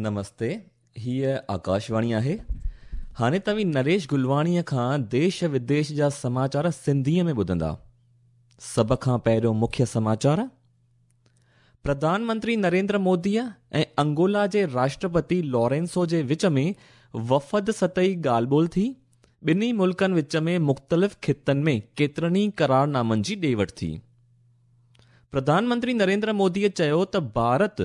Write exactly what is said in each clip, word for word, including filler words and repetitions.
نمستي، هيء آڪاشواڻي آهي. هاڻي توهين نريش گلواڻيءَ کان ديش وديش جا سماچار سنڌيءَ ۾ ٻڌندا. سڀ کان پهريون مکيه سماچار. پرڌان منتري نريندر موديءَ ۽ انگولا جي راشٽرپتي لارينسو جي وچ ۾ وفد سطحي ڳالهه ٻولهه ٿي. ٻنهي ملڪن وچ ۾ مختلف خطن ۾ ڪيترن ئي قرارنامن جي ڏي وٺ ٿي. پرڌان منتري نريندر موديءَ چيو ته ڀارت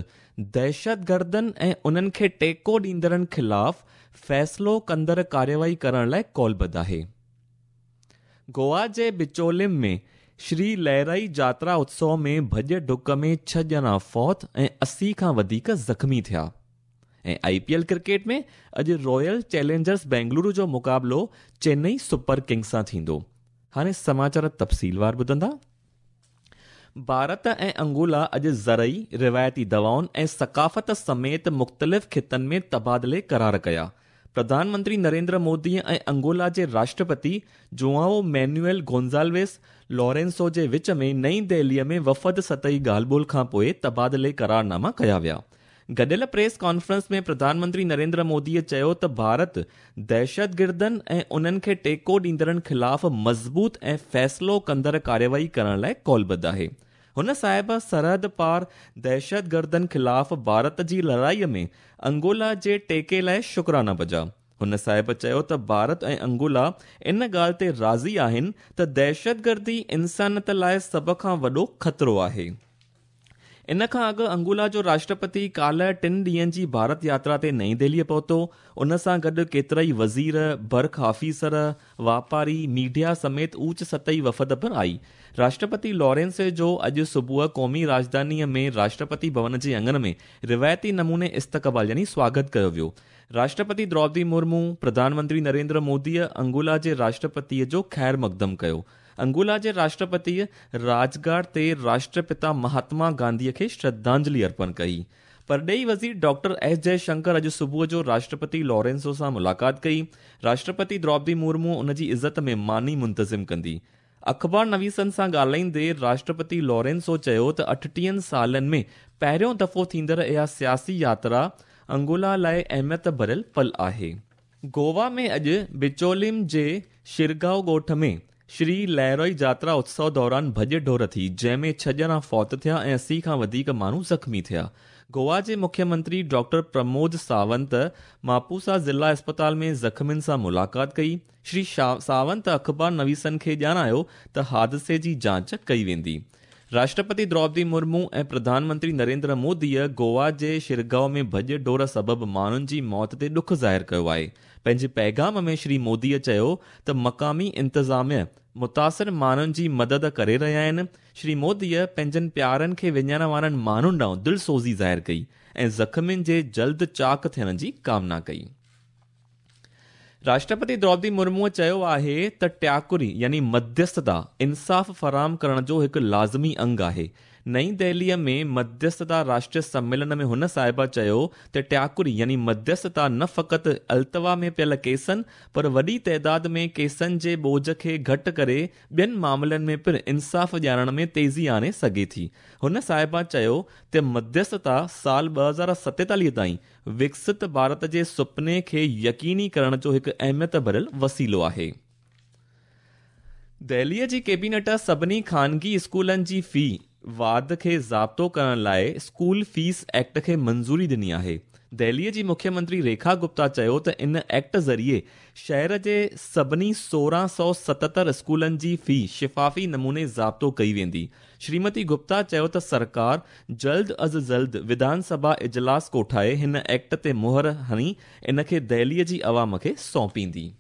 دهشتگردن ۽ انهن کي ٽيڪو ڏيندڙن خلاف فيصلو ڪندڙ ڪارروائي ڪرڻ لاءِ قولبڌ آهي. گوا جي بچولم ۾ شري لهرائي جاترا اتسو ۾ ڀڄ ڊڪ ۾ ڇهه ڄڻا فوت ۽ اسي کان وڌيڪ زخمي ٿيا. ۽ I P L cricket ۾ اڄ رائل چئلينجرس بينگلورو جو مقابلو چنئي سپر ڪنگز سان ٿيندو. هاڻي سماچار تفصيلوار ٻڌندا. ڀارت ۽ انگولا اڄ زرعي، روايتي دوائن ۽ ثقافت سميت مختلف خطن ۾ تبادلي قرار ڪيا. پرڌان منتري نريندر مودي ۽ انگولا جي راشٽرپتي جوائو مينوئل گونزالويس لارينسو جي وچ ۾ نئين دهليءَ ۾ وفد سطحي ڳالهه ٻولهه کان پوءِ تبادلي قرارناما ڪيا ويا. گڏيل پريس ڪانفرنس ۾ پرڌان منتري نريندر موديءَ چيو ته ڀارت دهشتگردن ۽ انهن کي ٽيڪو ڏيندڙن خلاف مضبوط ۽ فيصلو ڪندڙ ڪارروائي ڪرڻ لاءِ قولبڌ آهي. هن صاحب سرحد پار دهشتگردن خلاف ڀارت جي لڙائيءَ ۾ انگولا جي ٽيڪي لاءِ شڪرانا بجا. هن صاحب چيو ته ڀارت ۽ انگولا ان ڳالهه تي راضي آهن ته دهشتگردي انسانيت لاءِ سڀ کان وڏو خطرو آهي. ان کان اڳ انگولا جو راشٽرپتي ڪالهه ٽن ڏينهن جي ڀارت ياترا تي نئين دهليءَ پهتو. ان سان گڏ ڪيترا ئي وزير، برک آفيسر، واپاري، ميڊيا سميت اوچ سطحي وفد پڻ آئي. راشٽرپتي لارينس جو اڄ صبح قومي راڄڌانيءَ ۾ راشٽرپتي ڀون جي اڱڻ ۾ روايتي نموني استقبال يعني سواگت ڪيو ويو. راشٽرپتي دروپدي مرمو، پرڌان منتري نريندر موديءَ انگولا جي راشٽرپتيءَ جو خير مقدم ڪيو. انگولا جي راشٽرپتيءَ راجگهاٽ تي راشٽرپتا مهاتما گانڌيءَ کي شرڌانجلي ارپڻ ڪئي. پرڏيهي وزير ڊاڪٽر ايس جئشنڪر اڄ صبح جو راشٽرپتي لارينسو سان ملاقات ڪئي. راشٽرپتي دروپدي مرمو ان جي عزت ۾ ماني منتظم ڪندي. اخبار نويسن سان ڳالهائيندي راشٽرپتي لارينسو چيو ته اٺٽيهن سالن ۾ پهريون دفعو ٿيندڙ اها سياسي ياترا انگولا لاءِ اهميت ڀريل پل آهي. گوا ۾ اڄ بچولم جي شرگائو ڳوٺ ۾ شري لهرائي جاترا اتسو دوران ڀڄ ڊوڙ ٿي، جنهن ۾ ڇهه ڄڻا فوت ٿيا ۽ اسي کان وڌيڪ ماڻهو زخمي ٿيا. گوا جي مکيه منتري ڊاڪٽر پرمود ساونت ماپوسا ضلع اسپتال ۾ زخمين سان ملاقات ڪئي. شري ساونت اخبار نويسن کي ڄاڻايو ته حادثي جي جاچ ڪئي ويندي. راشٽرپتي دروپدي مرمو ۽ پرڌان منتري نريندر موديءَ گوا جي شرگائو ۾ ڀڄ ڊوڙ سبب ماڻهن جي موت تي ڏک ظاهر ڪيو آهي. پنهنجي پيغام ۾ شري موديءَ چيو ته مقامي انتظاميه متاثر ماڻهن جي مدد ڪري رهيا آهن. شري موديءَ پنهنجن پيارن کي وڃائڻ وارن ماڻهن ڏانهن دلسوزي ظاهر ڪئي ۽ زخمين جي جلد چاڪ ٿيڻ جي ڪامنا ڪئي. راشٽرپتي دروپدي مرموءَ چيو آهي ته ٽياڪري يعني مڌيسٿتا انصاف فراهم ڪرڻ جو هڪ لازمي انگ آهي. نئين دهليءَ ۾ مڌيسٿتا راشٽريه سميلن ۾ هن صاحبه چيو ته ٽياڪري يعني مڌيسٿتا نه فقط التوا ۾ پيل ڪيسن پر وڏي تعداد ۾ ڪيسن جي ٻوجهه کي گهٽ ڪري ٻين معاملن ۾ پڻ انصاف ڏيارڻ ۾ تيزي آڻي سگهي ٿي. هن صاحبه چيو ته مڌيسٿتا سال ٻه هزار ستيتاليهه تائين وڪست ڀارت جي سپني کي يقيني ڪرڻ جو هڪ اهميت ڀريل وسيلو آهي. دهليءَ جي ڪيبينيٽ سڀني خانگي اسڪولن جي في واڌ کي ضابطو ڪرڻ لاءِ اسڪول فيس ايڪٽ کي منظوري ڏني آهي. دهليءَ جي مکيه منتري ريکا گپتا چيو ته ان ايڪٽ ذريعي شهر جي سڀني سورهن سؤ ستهتر اسڪولن جي في شفافي نموني ضابطو ڪئي ويندي. شريمتي گپتا چيو ته سرڪار جلد از جلد وڌان سڀا اجلاس ڪوٺائي هن ايڪٽ تي مهر هڻي ان کي دهليءَ جي عوام کي سونپيندي.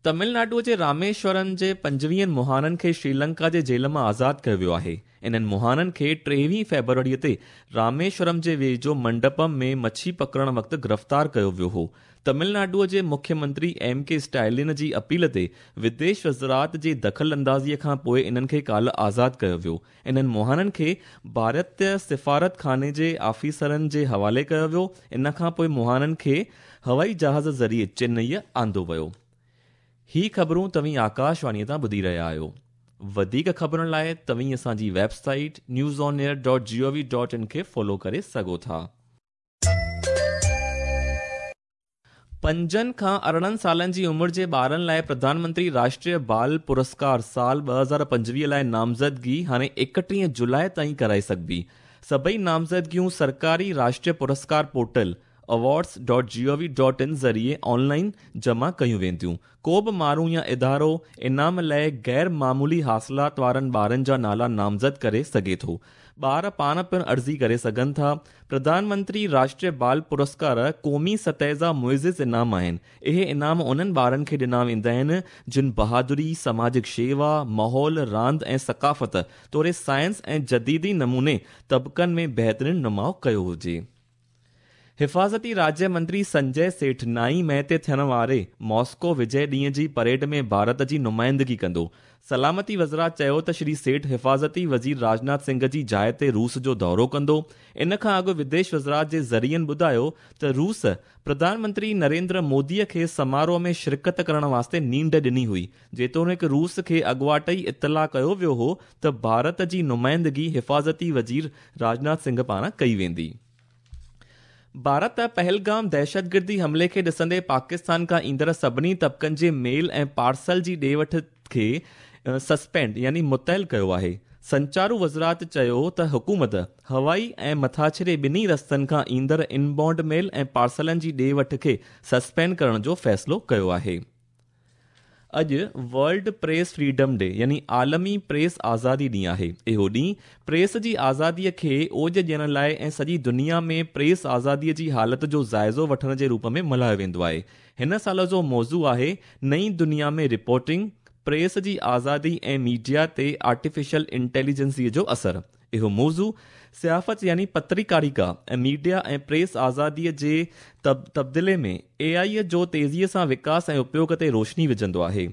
تامل ناڊوءَ جي راميشورم جي پنجويهن مهاڻن کي شريلنڪا جي جيل مان آزاد ڪيو ويو آهي. انهن مهاڻن کي ٽيويهه فيبروريءَ تي راميشورم جي ويجهو منڊپم ۾ مڇي پڪڙڻ وقت گرفتار ڪيو ويو هو. تامل ناڊوءَ جي مکيه منتري ايم ڪي اسٽالن جي اپيل تي وديش وزارت جي دخل اندازيءَ کان پوءِ انهن کي ڪالهه آزاد ڪيو ويو. انهن مهاڻن کي ڀارتيه سفارت خاني جي آفيسرن جي حوالي ڪيو ويو. ان کان پوءِ مهاڻن کي هوائي جهاز ذريعي چنئي آندو ويو. هي خبرون توهين آڪاشواڻيءَ تان ٻڌي رهيا آهيو. وڌيڪ خبرن لاءِ توهين اسان جي website news on air dot G O V dot in کي فالو ڪري سگهو ٿا. پنجن کان ارڙهن سالن جي عمر جي ٻارن لاءِ پرڌان منتري راشٽريه بال پرسڪار سال ٻه هزار پنجويهه لاءِ نامزدگي هاڻي ايڪٽيهه جولاءِ تائين ڪرائي سگهبي. سڀئي نامزدگيون سرڪاري راشٽريه پرسڪار portal awards dot G O V dot in ذريعي آنلائن جمع ڪيون وينديون. ڪو به ماڻهو يا ادارو انعام لاءِ غير معمولي حاصلات وارن ٻارن جا نالا نامزد ڪري سگهي ٿو. ٻار پاڻ پڻ عرضي ڪري سگهن ٿا. پرڌان منتري راشٽريه بال پرسڪار قومي سطح جا معزز انعام آهن. اهي انعام انهن ٻارن کي ڏنا ويندا آهن جن بهادري، سماجڪ شيوا، ماحول، راند ۽ ثقافت توڙي سائنس ۽ جديدي نموني طبقن ۾ بهترين نماءُ ڪيو هجي. حفاظتي राज्य मंत्री संजय सेठ نائين مئي تي ٿيڻ واري ماسڪو وجي ڏينهن جي پريڊ ۾ ڀارت جي نمائندگي ڪندو. سلامتي وزارت چيو ته شري سيٺ حفاظتي وزير راجناٿ سنگهه جي جاءِ تي روس جو دورو ڪندو. ان کان اڳ وديش وزارت جي ذريعن ٻڌايو ته روس پرڌان منتري نريندر موديءَ کي سماروهه ۾ شرڪت ڪرڻ واسطي نينڍ ڏني هئي. جيتوڻيڪ روس کي اڳواٽ ئي اطلاع ڪيو ويو هو ته ڀارت جي نمائندگي حفاظتي وزير راجناٿ سنگهه پاران ڪئي ويندي. ڀارت پهلگام دهشتگردي حملي کي ڏسندي پاڪستان کان ايندڙ سڀني طبقن جي ميل ۽ پارسل جي ڏي وٺ کي سسپينڊ يعني متعل ڪيو آهي. سنچارو وزارت چيو ته حڪومت هوائي ۽ مٿاڇري ٻنهي رستن کان ايندڙ انبائونڊ ميل ۽ پارسلن جي ڏي وٺ کي سسپينڊ ڪرڻ جو فيصلو ڪيو آهي. اڄ ورلڊ پريس فريڊم ڊي يعني عالمي پريس آزادي ڏينهن آهي. اهو ڏينهن پريس جي آزاديءَ کي اوج ڏيڻ لاءِ ۽ سڄي دنيا ۾ پريس آزاديءَ جي حالت جو جائزو وٺڻ جي روپ ۾ ملهايو ويندو آهي. هن سال جو موضوع آهي نئين دنيا ۾ رپورٽنگ، پريس جي آزادي ۽ ميڊيا تي آرٽيفيشل انٽيليجنسيءَ جو اثر. اهو موضوع صحافت يعني پترڪاريڪا ۽ ميڊيا ۽ پريس آزاديءَ جي تبديلي ۾ اي آئي جو تيزيءَ سان وڪاس ۽ اپيوگ تي روشني وجهندو آهي.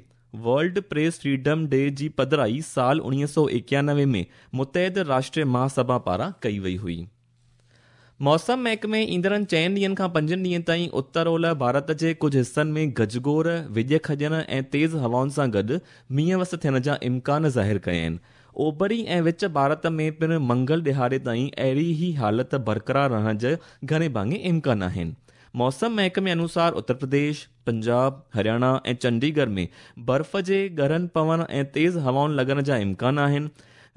ورلڊ پريس فريڊم ڊي جي پڌرائي سال اڻويهه سؤ ايڪانوي ۾ متحده راشٽريه مهاسڀا پاران ڪئي وئي هئي. موسم محڪمي ايندڙن چئن ڏينهن کان پنجن ڏينهن تائين اتر اولهه ڀارت جي ڪجهه حصن ۾ گجگوڙ، وڄ کڄڻ ۽ تيز هوائن سان گڏ مينهن وس ٿيڻ جا امڪان ظاهر ڪيا آهن. اوڀري ۽ وچ ڀارت ۾ پڻ منگل ڏهاڙي تائين اهڙي ئي حالت برقرار رهڻ جا گهڻي ڀاڱي امڪان آهن. موسم محڪمي انوسار اتر پرديش، پنجاب، هرياڻا ۽ چنڊيڳڙهه ۾ برف جي ڳرن پوڻ ۽ تيز هوائن لڳڻ جا امڪان آهن.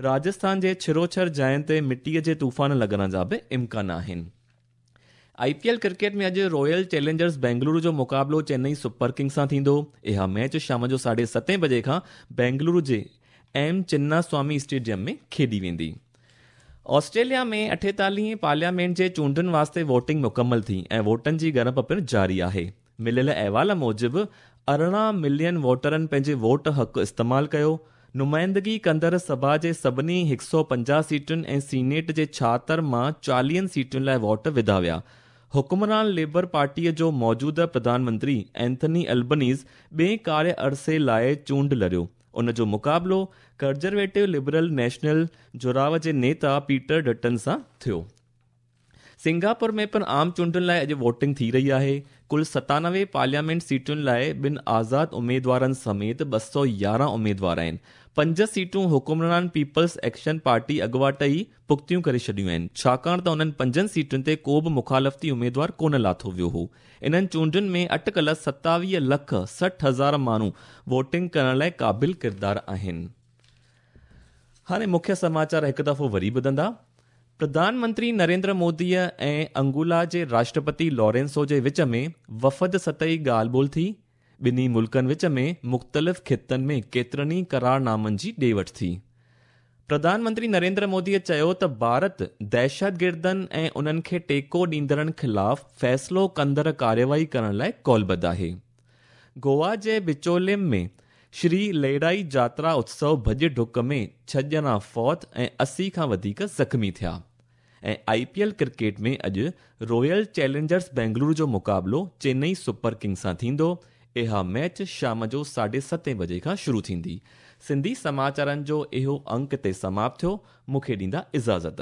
راجسٿان جي ڇروڇر جاين تي مٽيءَ جي طوفان لڳڻ جا به امڪان آهن. I P L cricket ۾ اڄ رائل چئلينجرز بينگلورو جو مقابلو چنئي سپر ڪنگز سان ٿيندو. اها ميچ شام جو ساڍي ستين بجي کان بينگلورو جي ايم چنا سوامي اسٽيڊيم ۾ کيڏي ويندي. آسٽريليا ۾ اٺيتاليهين پارليامينٽ جي چونڊن واسطي ووٽنگ مڪمل ٿي ۽ ووٽن جي ڳڻپ پڻ جاري آهي. مليل احوال موجب ارڙهن ملين ووٽرن پنهنجي ووٽ حق استعمال ڪيو. نمائندگي ڪندڙ سڀا جي سڀني هڪ سؤ پنجاهه سيٽن ۽ سينيٽ جي ڇاهتر مان چاليهن سيٽن لاءِ ووٽ وڌا ويا. حڪمران ليبر پارٽيءَ جو موجوده پرڌان منتري اينٿني البنيز ٻئي ڪاريه عرصي لاءِ چونڊ لڙيو. ان جو مقابلو ڪنزرويٽو لبرل نيشنل جڙاءُ جي نيتا پيٽر ڊٽن سان ٿيو. سنگاپور ۾ پڻ عام چونڊن لاءِ اڄ ووٽنگ ٿي رهي آهي. ڪل ستانوي پارليامينٽ سيٽن لاءِ ٻن آزاد اميدوارن سميت ٻه سؤ يارهن اميدوار آهن. پنج سيٽون حڪمران پيپلز ايڪشن پارٽي اڳواٽ ئي پختيون ڪري ڇڏيون آهن، ڇاڪاڻ ته انهن پنجن سيٽن تي ڪو به مخالفتي اميدوار ڪونه لاٿو ويو هو. انهن چونڊن ۾ اٽڪل ستاويهه لک سٺ هزار ماڻهو ووٽنگ ڪرڻ لاءِ قابل ڪردار آهن. هاڻي مکيه سماچار هڪ دفعو وري ٻڌندا. پرڌان منتري نريندر موديءَ ۽ انگولا جي راشٽرپتي لارينسو جي وچ ۾ وفد سطحي ڳالهه ٻولهه ٿي. ٻنهي ملڪن وچ ۾ مختلف خطن ۾ ڪيترن ئي قرارنامن جي ڏي وٺ ٿي. پرڌان منتري نريندر موديءَ چيو ته ڀارت دهشتگردن ۽ انهن کي ٽيڪو ڏيندڙن خلاف فيصلو ڪندڙ ڪارروائي ڪرڻ لاءِ ڪالبڌ آهي. گوا جي بچوليم ۾ شري ليڙائي جاترا اتسو ڀڄ ڊڪ ۾ ڇهه ڄڻا فوت ۽ اسي کان وڌيڪ زخمي ٿيا. ۽ I P L cricket ۾ اڄ رائل چئلينجرز بينگلورو جو مقابلو چنئي سپر ڪنگز سان ٿيندو. اها ميچ شام جو ساڍي ستين بجي کان شروع ٿيندي. سنڌي سماچارن جو اهو انڪ تي سماپت ٿيو. مون کي ڏيندا اجازت.